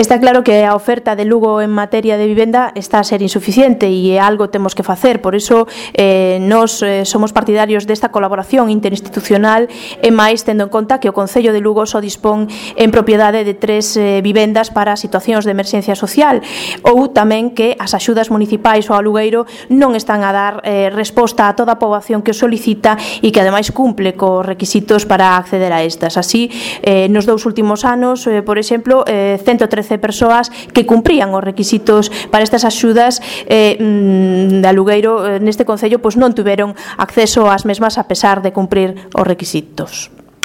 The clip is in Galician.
Está claro que a oferta de Lugo en materia de vivenda está a ser insuficiente e algo temos que facer, por iso nos somos partidarios desta colaboración interinstitucional e máis tendo en conta que o Concello de Lugo só dispón en propiedade de 3 vivendas para situacións de emerxencia social, ou tamén que as axudas municipais ao alugueiro non están a dar resposta a toda a poboación que o solicita e que ademais cumple cos requisitos para acceder a estas. Así, nos 2 últimos anos, por exemplo, 113 persoas que cumprían os requisitos para estas axudas de alugueiro neste Concello non tiveron acceso ás mesmas a pesar de cumprir os requisitos.